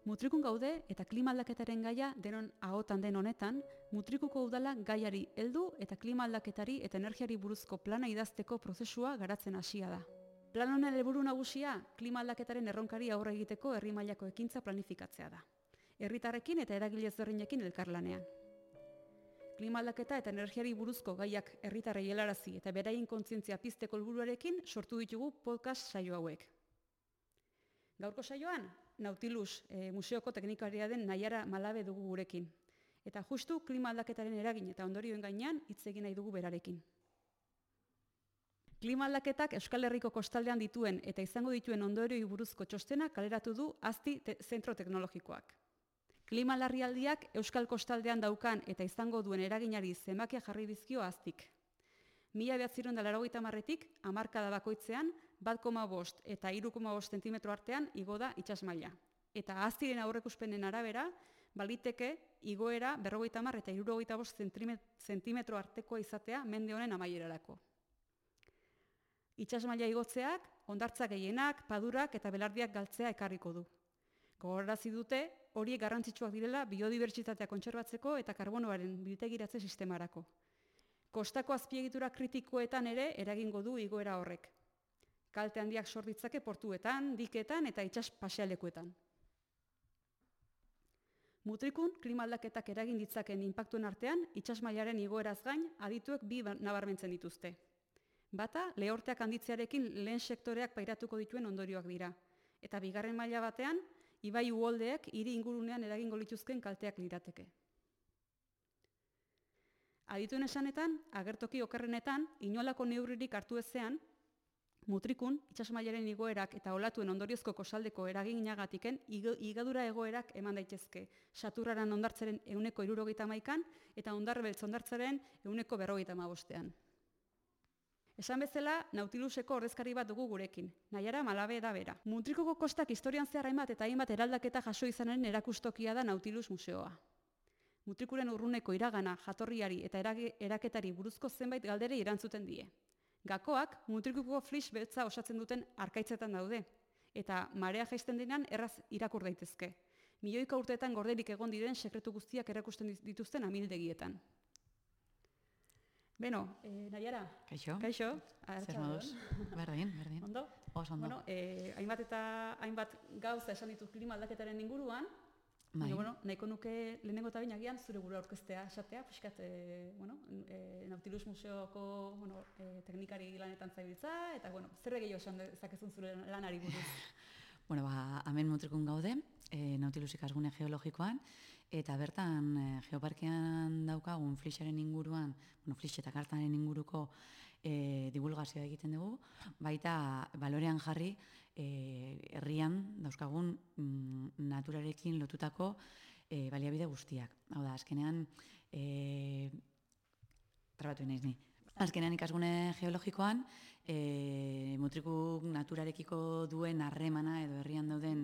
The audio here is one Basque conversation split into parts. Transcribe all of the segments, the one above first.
Mutrikun gaude eta klima aldaketaren gaia denon ahotan den honetan, Mutrikuko udala gaiari heldu eta klima aldaketari eta energiari buruzko plana idazteko prozesua garatzen hasia da. Plan honen helburu nagusia klima aldaketaren erronkari aurre egiteko herri mailako ekintza planifikatzea da. Herritarrekin eta eragile ezberdinekin elkarlanean. Klima aldaketa eta energiari buruzko gaiak herritarrei helarazi eta beraien kontzientzia pizteko helburuarekin sortu ditugu podcast saio hauek. Gaurko saioan, Nautilus museoko teknikaria den Naiara Malabe dugu gurekin. Eta justu klima aldaketaren eragin eta ondorioen gainean hitz egin nahi dugu berarekin. Klima aldaketak Euskal Herriko kostaldean dituen eta izango dituen ondorioi buruzko txostena kaleratu du Azti Zentro Teknologikoak. Klima larrialdiak Euskal kostaldean daukan eta izango duen eraginari zenbakiak jarri dizkio Aztik. 1980etik hamarkada bakoitzean 1,5 eta 3,5 zentimetro artean igo da itsasmaila. Eta Aztiren aurreikuspenen arabera, baliteke igoera 50 eta 75 zentimetro artekoa izatea mende honen amaierarako. Itsasmaila igotzeak, hondartza gehienak, padurak eta belardiak galtzea ekarriko du. Gogorarazi dute, horiek garrantzitsuak direla biodibertsitatea kontserbatzeko eta karbonoaren biltegiratze sistemarako. Kostako azpiegitura kritikoetan ere eragingo du igoera horrek. Kalte handiak sor ditzake portuetan, diketan eta itsas pasealekuetan. Mutrikun klima aldaketak eragin ditzaken inpaktuen artean, itsasmailaren igoeraz gain adituek bi nabarmentzen dituzte. Bata, lehorteak handitzearekin lehen sektoreak pairatuko dituen ondorioak dira. Eta bigarren maila batean, ibai uholdeek hiri ingurunean eragingo lituzken kalteak lirateke. Adituen esanetan, agertoki okerrenetan, inolako neurririk hartu ezean, Mutrikun, itsasmailaren igoerak eta olatuen ondoriozko kosaldeko eraginagatiken igadura egoerak eman daitezke. Saturraran hondartzaren 171 eta hondarrebeltz hondartzaren 155. Esan bezala, Nautiluseko ordezkari bat dugu gurekin, Naiara Malabe da bera. Mutrikuko kostak historian zehar hainbat eraldaketa jaso izanaren erakustokia da Nautilus museoa. Mutrikuren urruneko iragana, jatorriari eta eraketari buruzko zenbait galderei erantzuten die. Gakoak Mutrikuko flis beltza osatzen duten arkaitzetan daude, eta marea jaisten denean erraz irakur daitezke. Milioika urteetan gorderik egon diren sekretu guztiak erakusten dituzten amildegietan. Beno, Naiara. Kaixo. Zer moduz? Berdin. Ondo? Oso ondo. Bueno, hainbat gauza esan ditut klima aldaketaren inguruan. Bai. Nahiko nuke lehenengo eta agian zure burua aurkeztea esatea, pixkat, Nautilus museoko teknikari lanetan zabiltza, eta zer gehiago esan dezakezun zure lanari buruz? Hemen Mutrikun gaude, Nautilus ikasgune geologikoan, eta bertan geoparkean daukagun flixaren inguruan, flix eta kartaren inguruko divulgazioa egiten dugu, baita balorean jarri herrian dauzkagun naturarekin lotutako baliabide guztiak. Hau da, azkenean, trabatu naiz ni. Azkenean ikasgune geologikoan, Mutrikuk naturarekiko duen harremana edo herrian dauden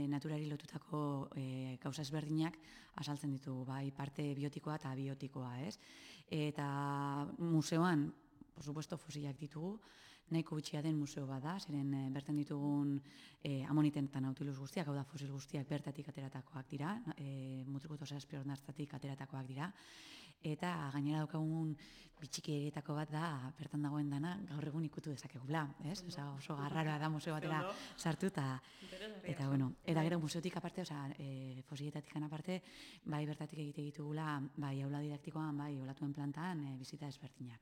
naturari lotutako gauza ezberdinak azaltzen ditugu, bai parte biotikoa eta abiotikoa, ez? Eta museoan, por supuesto, fosilak ditugu, nahiko bitxia den museo bada, zeren bertan ditugun amoniten eta Nautilus guztiak, hau da fosil guztiak bertatik ateratakoak dira, Mutrikut osazpi hondartzatik ateratakoak dira, eta gainera daukagun bitxikietako bat da, bertan dagoen dana, gaur egun ikutu dezakegula, ez? Oso garraroa da museo batera sartu, eta gero museotik aparte, fosilietatik aparte, bai bertatik egite ditugula, bai aula didaktikoan, bai olatuen plantan, bizita ezberdinak.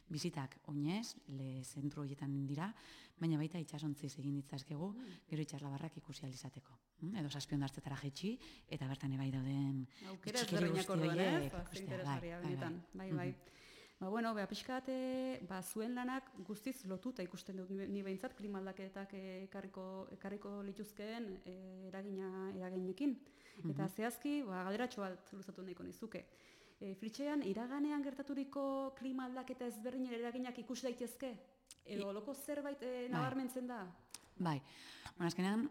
Bizitak oinez, zentru horietan dira, baina baita itxasontziz egin ditzazkegu, gero itxaslabarrak ikusi alizateko. Edo zazpi hondartzetara jetxi, eta bertan ebai dauden bitxikeri guzti horiek. Bai. Pixkat, zuen lanak guztiz lotuta ikusten dut ni behintzat klima aldaketak ekarriko lituzkeen eraginekin. Eta zehazki, galderatxo bat luzatu nahiko nizuke. Flitxean, iraganean gertaturiko klima aldaketa ezberdinen eraginak ikus daitezke? Edo loko zerbait nabarmentzen da? Bai, azkenean,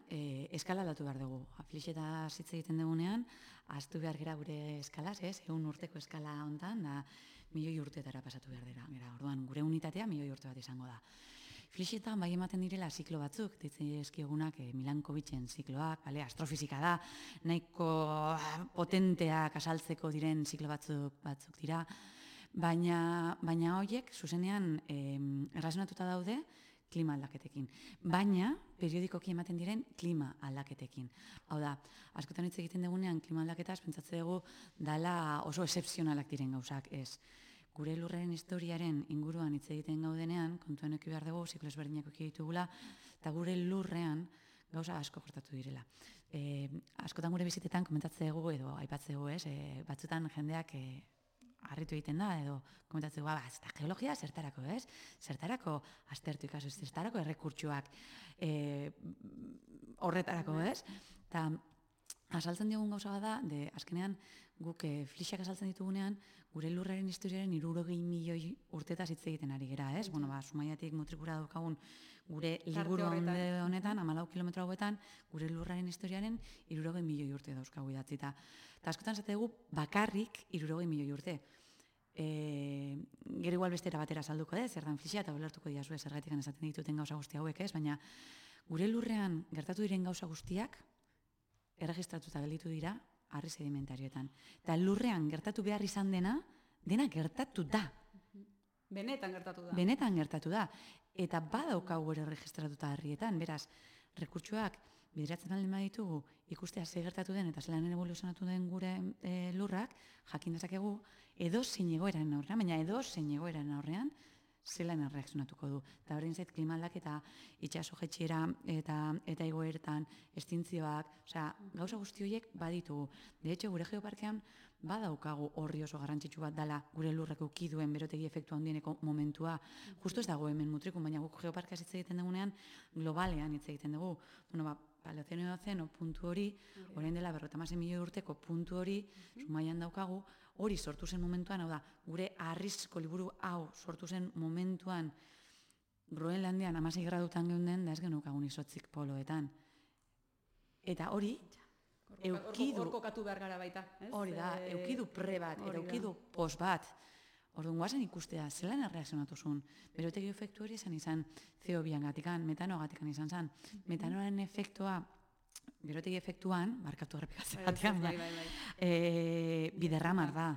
eskala aldatu behar dugu. Flixeta hitz egiten dugunean, ahaztu behar gera gure eskalaz, 100 urteko eskala hontan, da milioi urteetara pasatu behar dira. Orduan, gure unitatea milioi urte bat izango da. Flixetan bai ematen direla ziklo batzuk, ditzen eskiegunak Milankovitchen zikloak, astrofizika da, nahiko potenteak asaltzeko diren ziklo batzuk dira, baina horiek zuzenean erlazionatuta daude klima aldaketekin. Baina, periodikoki ematen diren klima aldaketekin. Hau da, askotan hitz egiten dugunean klima aldaketaz, pentsatze dugu dala oso excepzionalak diren gauzak, ez. Gure lurraren historiaren inguruan hitz egiten gaudenean, kontuan eki behar dugu, ziklo ezberdinak eki ditugula, eta gure lurrean gauza asko gertatu direla. Askotan gure bizitetan komentatze dugu edo aipatze dugu, ez, batzutan jendeak harritu egiten da, edo komentatzen dugu, ez da geologia zertarako, ez? Zertarako aztertu ikaso, zertarako errekurtsuak horretarako, ez? Eta azaltzen diogun gauza da, azkenean guk flixak azaltzen ditugunean, gure lurraren historiaren 60 milioi urtetaz hitz egiten ari gera, ez? Bueno, Zumaiatik Mutrikura daukagun gure liburu honetan, 14 kilometro hauetan, gure lurraren historiaren 60 milioi urte dauzkagu idatzita. Eta askotan zate dugu bakarrik 60 milioi urte. Gero igual bestera batera salduko ez, zer dan flixia eta ulertuko diazue zergatik esaten dituten gauza guzti hauek ez, baina gure lurrean gertatu diren gauza guztiak erregistratuta gelditu dira harri sedimentarioetan. Eta lurrean gertatu behar izan dena gertatu da. Benetan gertatu da. Benetan gertatu da. Eta badaukagu ere erregistratuta harrietan, beraz, rekurtsoak bideratzen aldin baditugu ikustea ze gertatu den eta zelan eboluzionatu den gure lurrak, jakin dezakegu edozein egoeraren aurrean, baina edozein egoeraren aurrean zelan erreakzionatuko du. Eta berdin zait klima aldaketa, itsaso jaitsiera eta igoeretan, estintzioak, gauza guzti horiek baditugu. De hecho, gure geoparkean badaukagu horri oso garrantzitsu bat dela gure lurrek eduki duen berotegi efektu handieneko momentua. Justu ez dago hemen Mutrikun, baina guk geoparkeaz hitz egiten dugunean globalean hitz egiten dugu. Bueno, Paleozeno puntu hori, orain dela 56 milioi urteko puntu hori, Zumaian daukagu, hori sortu zen momentuan, hau da, gure harrizko liburu hau sortu zen momentuan Groenlandian 16 gradutan geunden, da ez genukagun izotzik poloetan. Eta hori, eukidu... Hor kokatu behar gara baita. Hori da, eukidu pre bat, eta eukidu pos bat. Orduan guazen ikustea, zelan erreakzionatu zuen. Berotegi efektu hori izan CO2 gatikan, metanoagatik izan zen. Metanoaren efektua, berotegi efektuan, barkatu errepikatzen batean, biderramar da.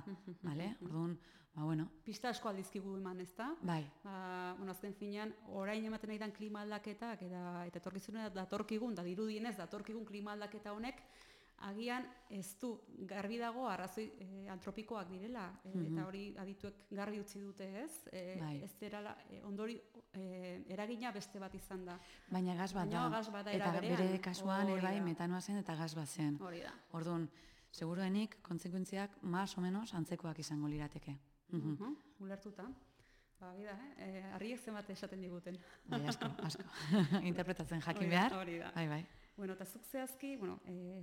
Orduan, bueno. Pista asko aldizkigu eman, ez da? Bai. Azken finean, orain ematen nahi dan klima aldaketak, eta etorkizunera datorkigun, da dirudienez datorkigun klima aldaketa honek, agian ez du garbi dago arrazoi antropikoak direla, eta hori adituek garbi utzi dute ez, ez derala ondori eragina beste bat izan da. Baina gas bat da, eta bere kasuan bai metanoa zen eta gas bat zen. Orduan, seguruenik, kontsekuentziak más o menos antzekoak izango lirateke. Ulertuta. Bida, harriek zenbat esaten diguten. Bai, asko. Interpretatzen jakin behar. Bai. Bueno, eta zuk zehazki,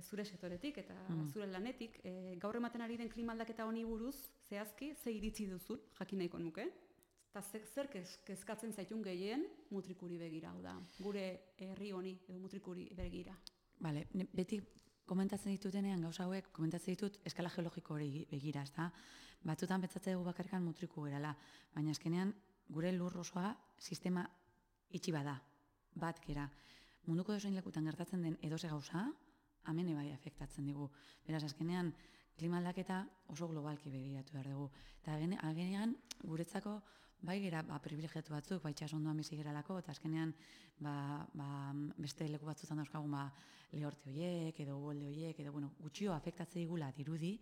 zure sektoretik eta zure lanetik, gaur ematen ari den klima aldaketa honi buruz, zehazki, ze iritzi duzun, jakin nahiko nuke? Eta zer kezkatzen zaitun gehien Mutrikuri begira, hau da, gure herri honi edo Mutrikuri begira. Bale, beti komentatzen ditutenean gauza hauek, komentatzen ditut eskala geologiko hori begira, ezta? Batzutan pentsatzen dugu bakarrikan Mutriku gerala, baina azkenean gure lur osoa sistema itxi bada, bat gera. Munduko dozein lekutan gertatzen den edoze gauza, hemen bai afektatzen digu. Beraz, azkenean, klima aldaketa oso globalki begiratu behar dugu. Eta agenean, guretzako, bai gera privilegiatu batzuk, bai txasondoan bizi geralako, eta azkenean, beste leku batzutan dauzkagun lehorte horiek, edo uholde horiek, edo gutxio afektatzen digula dirudi,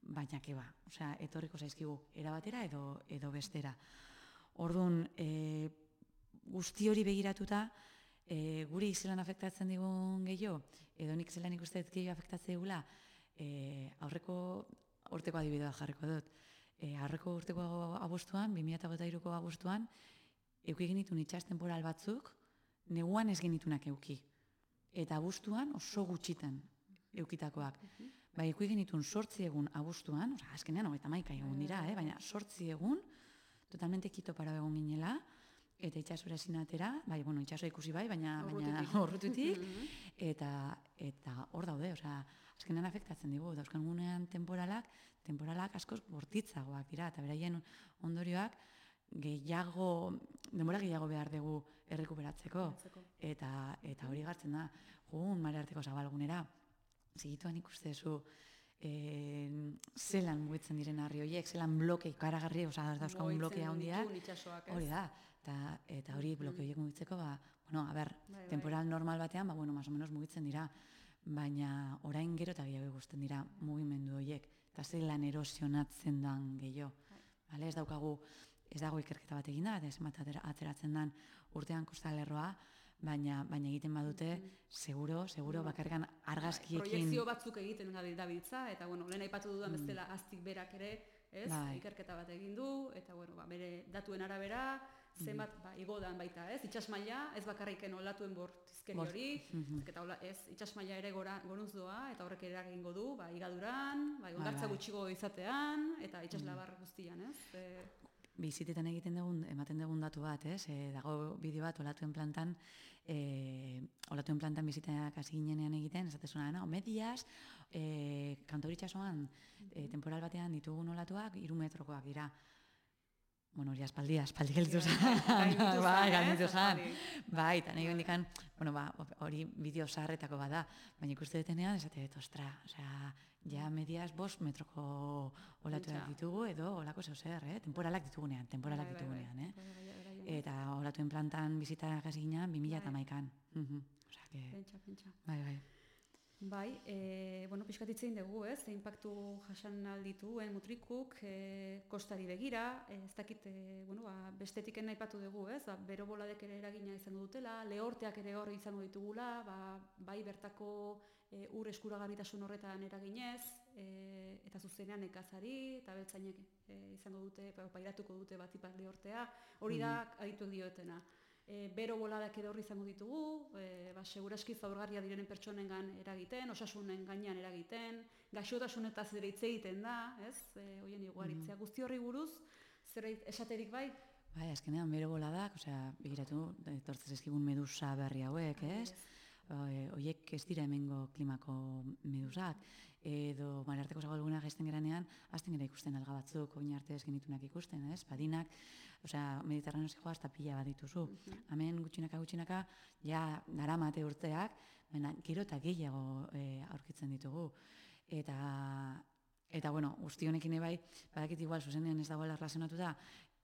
baina keba. Osea, etorriko zaizkigu, erabatera edo bestera. Orduan, guzti hori begiratuta, guri zelan afektatzen digun gehiago, edo nik zelan ikusten gehiago afektatzen digula, aurreko urteko adibidea jarriko dut. Aurreko urteko abuztuan, 2023ko abuztuan, eduki genitun itsas temporal batzuk, neguan ez genitunak eduki. Eta abuztuan oso gutxitan eukitakoak. Eduki genitun 8 egun abuztuan, azkenean 31 egun dira, baina 8 egun, totalmente kito para egon ginela, eta itsasora ezin atera, itsasoa ikusi baina urrututik, eta hor daude, azkenean afektatzen digu, dauzkan gunean temporalak askoz bortitzagoak dira, eta beraien ondorioak denbora gehiago behar dugu errekuperatzeko. Eta hori gartzen da, mare arteko zabalgunera, segituan ikustezu, zelan mugitzen diren harri horiek, zelan bloke ikaragarri, dauzkagun bloke handiak, hori da, eta hori bloke horiek mugitzeko, temporal normal batean, más o menos mugitzen dira, baina orain gero eta gehiago ikusten dira mugimendu horiek, eta zelan erosionatzen dan gehiago. Ez dago ikerketa bat egin da, eta zenbat ateratzen dan urtean kostalerroa, baina egiten badute, seguro, bakarrikan argazkiekin... Proiekzio batzuk egiten dabiltza, eta lehen aipatu dudan bezala aztik berak ere, ikerketa bat egin du, eta bere datuen arabera, zenbat igodan baita, itxasmaila, ez bakarriken olatuen bortizkeri hori, itxasmaila ere gorantz doa, eta horrek ere egingo du, igaduran, ondartza gutxigo izatean, eta itxaslabar guztian, Bizitetan ematen dugun datu bat, dago bideo bat olatuen plantan biziteak hasi ginenean egiten, esatezuna, medias, Kantauri-itsasoan temporal batean ditugun olatuak 3 metrokoak dira. Hori aspaldi gelditu zen. Gainditu zen. Eta nahi bendikan, hori bideo zaharretako bada, baina ikuste detenean, esate dut, ja medias 5 metroko olatuak ditugu, edo olako zeuzer, temporalak ditugunean. Eta olatuen plantan bizitak hasi ginean 2011an. Pentsa. Pixkatitzen dugu, ze inpaktu jasan aldituen mutrikuk, kostari begira, ez dakit, bestetiken naipatu dugu, bero boladek ere eragina izango dutela, lehorteak ere hor izango ditugula, bai bertako ur eskuragarritasun horretan eraginez, eta zuzenean nekazari, eta beltzainek izango dute, pairatuko dute batipat lehortea, hori da adituek diotena. Bero boladak ere horri izango ditugu, seguraski zaurgarria direnen pertsonengan eragiten, osasunen gainean eragiten, gaixotasunetaz ere hitz egiten da, hoien iguaritzea. Guzti horri buruz, zer esaterik bai? Azkenean bero boladak, begiratu, etortzen ezkigun medusa berri hauek, Oiek ez dira hemengo klimako medusak, edo Marearteko zabalguna jaisten geranean, hasten gara ikusten alga batzuk, oin arte ez genitunak ikusten, badinak, Mediterraneozik joa hasta pila bat dituzu. Hemen gutxinaka, ja daramate urteak, baina gero eta gehiago aurkitzen ditugu. Eta guzti honekin ebai, badakit igual, zuzenean ez dagoela erlazionatuta,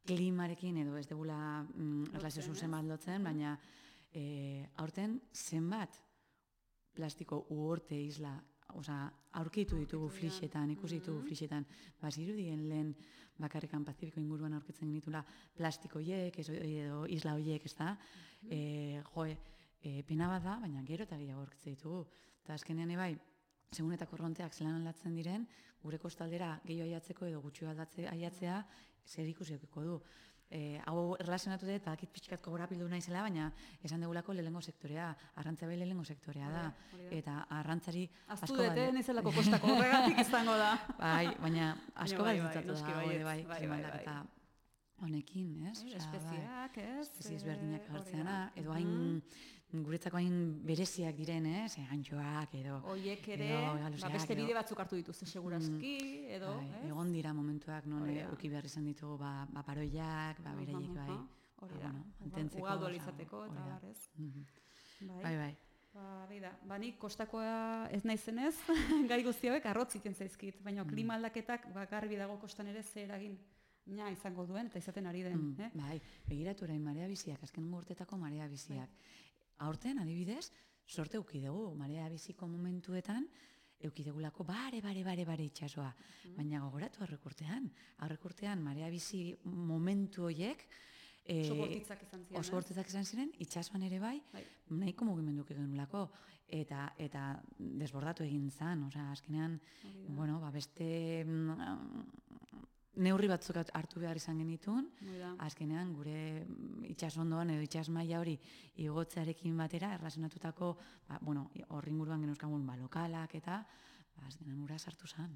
klimarekin edo ez degula erlazio zuzen bat lotzen, baina aurten zenbat plastiko uorte isla aurkitu ditugu flixetan, ikusi ditugu flixetan, zirudien lehen bakarrikan Pazifiko inguruan aurkitzen genitula plastikoiek edo isla hoiek, ez da? Pena bat da, baina gero eta gehiago aurkitzen ditugu. Eta azkenean ebai, segun eta korronteak zelan aldatzen diren, gure kostaldera gehiago aiatzeko edo gutxio aiatzea zer ikusiokiko du. Hau erlazionatu dut, badakit pixkat gogorapildu naizela, baina esan degulako lehengo sektorea, arrantza bai lehengo sektorea da, eta arrantzari asko bat... Aztu dute, nizelako kostako horregatik izango da. Baina asko bat ditatu da, klimaldaketa honekin, ez? Espeziak, ez? Espeziez berdinak hartzeana, edo hain guretzako hain bereziak diren, ez? Antxoak, edo... Oiek ere, beste bide batzuk hartu dituzte seguraski, edo... Egon dira momentuak non uki behar izan ditugu paroiak, bereiek bai. Hori da, ugaldu alizateko, eta barrez. Bai. Nik kostakoa ez naizenez, gai guztiak arrotz iten zaizkit, baina klima aldaketak garbi dago kostan ere zer eragin izango duen, eta izaten ari den. Bai, begiratu orain marea biziak, azken urtetako marea biziak. Aurten, adibidez, sorte eukidegu, marea biziko momentuetan, eukidegulako bare itxasoa. Baina gogoratu aurrekurtean marea bizi momentu horiek, oso bortitzak izan ziren, itxasuan ere bai, nahiko mugimenduk egenulako, eta desbordatu egin zan, azkenean, beste neurri batzuk hartu behar izan genitun, azkenean gure itxasondoan edo itxasmaila hori igotzearekin batera, erlazionatutako, horri inguruan genuzkagun lokalak eta, azkenean ura sartu zen.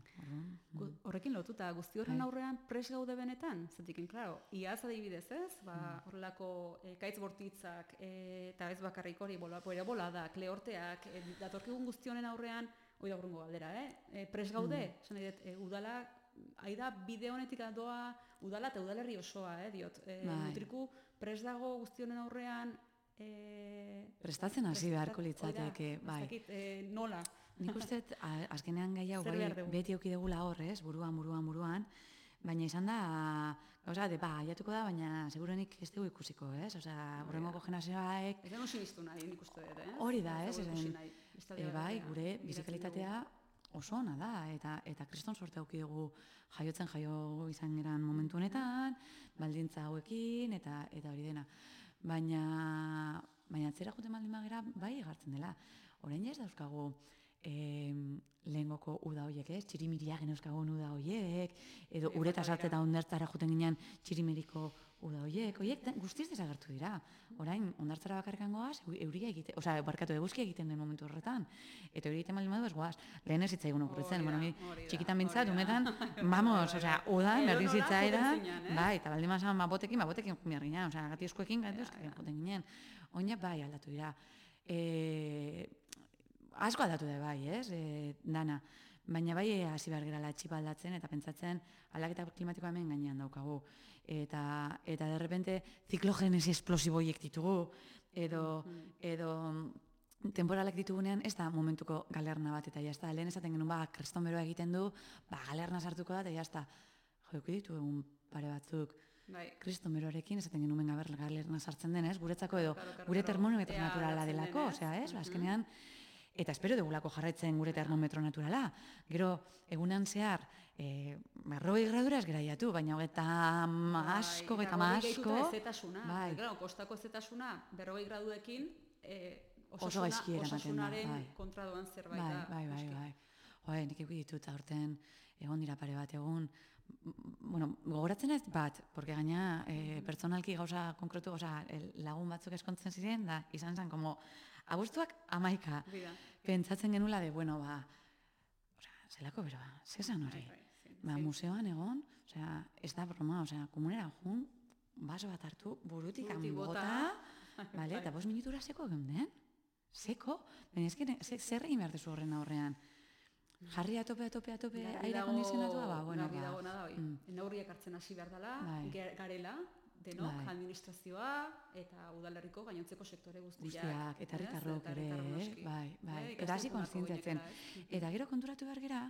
Horrekin lotuta, guzti horren aurrean pres gaude benetan, zetikin, klaro, iaz adibidez ez, horrelako kaitz bortitzak, eta ez bakarrik hori, boladak, lehorteak, datorkigun guzti honen aurrean, hori da gurungo galdera, pres gaude, udalak aida bide honetik doa udala eta udalerri osoa, diot. Mutriku prest dago guzti honen aurrean, prestatzen hasi beharko litzateke, bai. Ez dakit, nola? Nik uste, azkenean gai hau, beti auki degula horrez, buruan, baina izan da, gauza, aiatuko da, baina segurenik ez dugu ikusiko, ez? Osea, horrengoko generazioak... Ez denu sinistu nahi, nik uste dut, Hori da, ez? Bai, gure bizikalitatea oso ona da, eta kriston sorte auki dugu jaiotzen jaio izan geran momentu honetan, baldintza hauekin, eta hori dena. Baina atzera juten baldin bagera, bai egartzen dela. Orain ez dauzkagu lehengoko uda horiek, txirimiriak geneuskagun uda horiek, edo ureta sartze eta ondartzara juten ginen txirimiriko uda horiek guztiz desagertu dira. Orain, ondartzara bakarrikan goaz, euria egiten, osea, barkatu eguzkia egiten den momentu horretan. Eta hori egiten baldin badu ez goaz, lehen ez zitzaigun okurritzen, txikitan bintzat, umetan, vamos, osea, udan, berdin zitzaidan, bai, eta baldin mazan babotekin jumia ginen, osea, gati eskuekin, juten ginen. Oina bai aldatu dira. Asko aldatu da bai, dana. Baina bai hasi behar gerala txipa aldatzen eta pentsatzen aldaketa klimatikoa hemen gainean daukagu. Eta derrepente ziklogenesi esplosiboiek ditugu, edo temporalak ditugunean ez da momentuko galerna bat, eta jazta, lehen esaten genuen, kreston beroa egiten du, galerna sartuko da, eta jazta, joku ditu egun pare batzuk, kriston beroarekin esaten genuen galerna sartzen denez, guretzako edo, gure termometro naturala delako, osea, ez, azkenean, eta espero dugulako jarraitzen gure termometro naturala. Gero, egunan zehar, 40 gradura ez geraiatu, baina hogeita asko. Bai, kostako ezetasuna, 40 graduekin, osasunaren kontra doan zerbait da. Bai. Nik egu ditut aurten, egon dira pare bat, egun, gogoratzen ez bat, porque gaina pertsonalki gauza konkretu, lagun batzuk eskontzen ziren, da izan zen, como, abuztuak 11, pentsatzen genula de, zelako beroa, zezan hori. Museoan egon, ez da broma, komunera jun, baso bat hartu, burutik bota, eta 5 minutura seko geunden, seko, baina ezken, zer egin behar dezu horren aurrean. Jarri atope, aire kondizionatua, garbi dagona da, neurriak hartzen hasi behar dela, garela, denok, administrazioa eta udalerriko gainontzeko sektore guztiak. Eta herritarrok ere, bai. Eta hasi kontzientziatzen. Eta gero konturatu behar gera,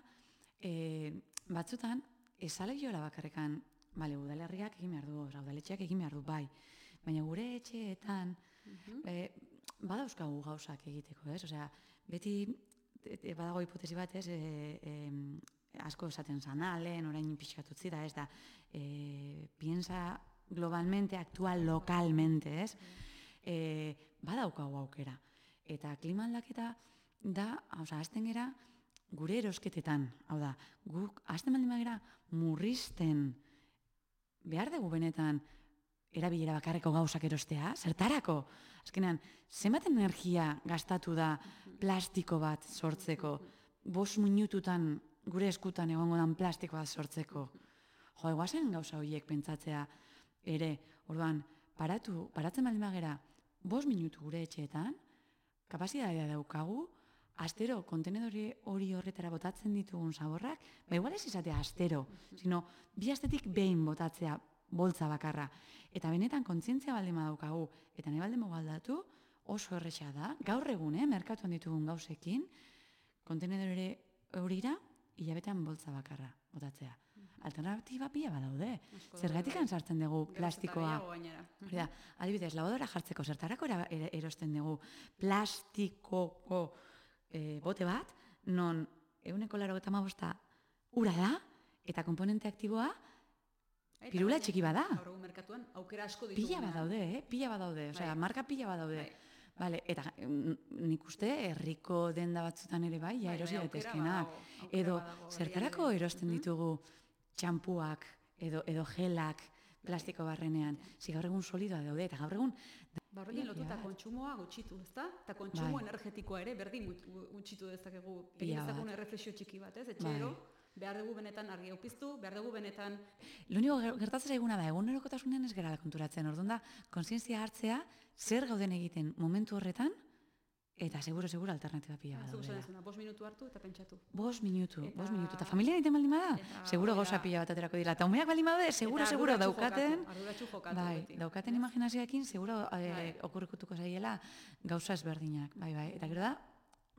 batzutan, esale jola bakarrekan, udalerriak egin behar du, udaletxeak egin behar du, bai. Baina gure etxeetan, badauzkagu gauzak egiteko, ez? Osea, beti, badago hipotesi bat, ez, asko esaten zanalen, orain pixkatutzi da, ez da, piensa globalmente, actúa localmente, ez? Badaukagu aukera. Eta klima aldaketa da, hasten gera, gure erosketetan, hau da, guk hasten baldin bagera murrizten behar dugu benetan erabilera bakarreko gauzak erostea, zertarako? Azkenean, zenbat energia gastatu da plastiko bat sortzeko, 5 minututan gure eskutan egongo dan plastiko bat sortzeko. Eguazen gauza horiek pentsatzea ere, orduan, paratzen baldin bagera 5 minutu gure etxeetan, kapazitatea daukagu, astero kontenedori hori horretara botatzen ditugun zaborrak, igual ez izatea astero, sino 2 astetik behin botatzea boltza bakarra. Eta benetan kontzientzia baldin badaukagu, eta nahi baldin aldatu, oso erresa da, gaur egun, merkatuan ditugun gauzekin, kontenedori horira, hilabetean boltza bakarra botatzea. Alternatiba pila badaude. Zergatik sartzen dugu plastikoa. Adibidez, lavadora jartzeko zertarako erosten dugu plastikoko bote bat, non 195 ura da, eta komponente aktiboa pirula txiki bada. Gaur egun merkatuan aukera asko ditugu. Pila badaude, osea, marka pila badaude. Eta nik uste herriko denda batzutan ere bai, erosi daitezkenak. Edo, zertarako erosten ditugu txampuak edo gelak plastiko barrenean. Gaur egun solidoa daude, eta gaur egun... Horrekin lotuta kontsumoa gutxitu, ezta? Eta kontsumo energetikoa ere berdin gutxitu dezakegu. Egin dezakun erreflexio txiki bat, ez? Etxero, behar dugu benetan argi aupiztu, behar dugu benetan... Lo único gertatzen eguna da, egunerokotasunean ez gerala konturatzen. Orduan da, kontzientzia hartzea, zer gauden egiten momentu horretan, Eta seguro alternatiba pila bat Zuk esan daudela. dezuna, 5 minutu hartu eta pentsatu. 5 minutu. Eta familia egiten baldin bada, seguro hori da. gauza pila bat aterako dira. Eta umeak baldin badaude, seguro daukaten, Arduratsu jokatu bai, beti. daukaten imaginazioekin, seguro okurrikutuko zaiela gauza ezberdinak. Bai, eta gero da,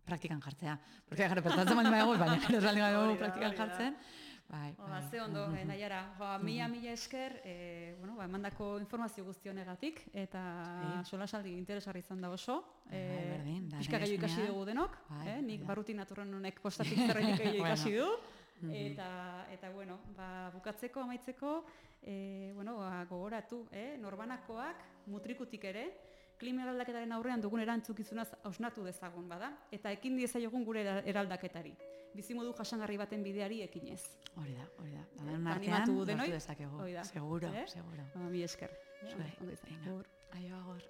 praktikan jartzea. Porque gero pentsatzen baldin badago, baina gero ez baldin badago praktikan jartzen. Bai, Ze ondo, Naiara, mila esker, emandako informazio guzti honegatik, eta solasaldi interesgarri izan da oso. Pixka gehiago ikasi dugu denok, nik barruti naturren honek postatik zerrenik gehiago ikasi du. Eta bukatzeko, amaitzeko, gogoratu, norbanakoak mutrikutik ere, klima eraldaketaren aurrean dugun erantzukizunaz hausnatu dezagun bada, eta ekin diezaiogun gure eraldaketari. Bizimodu jasangarri baten bideari ekinez. Hori da. Animatu denoi? dezakegu. Seguro. Mi esker. Aio, agor.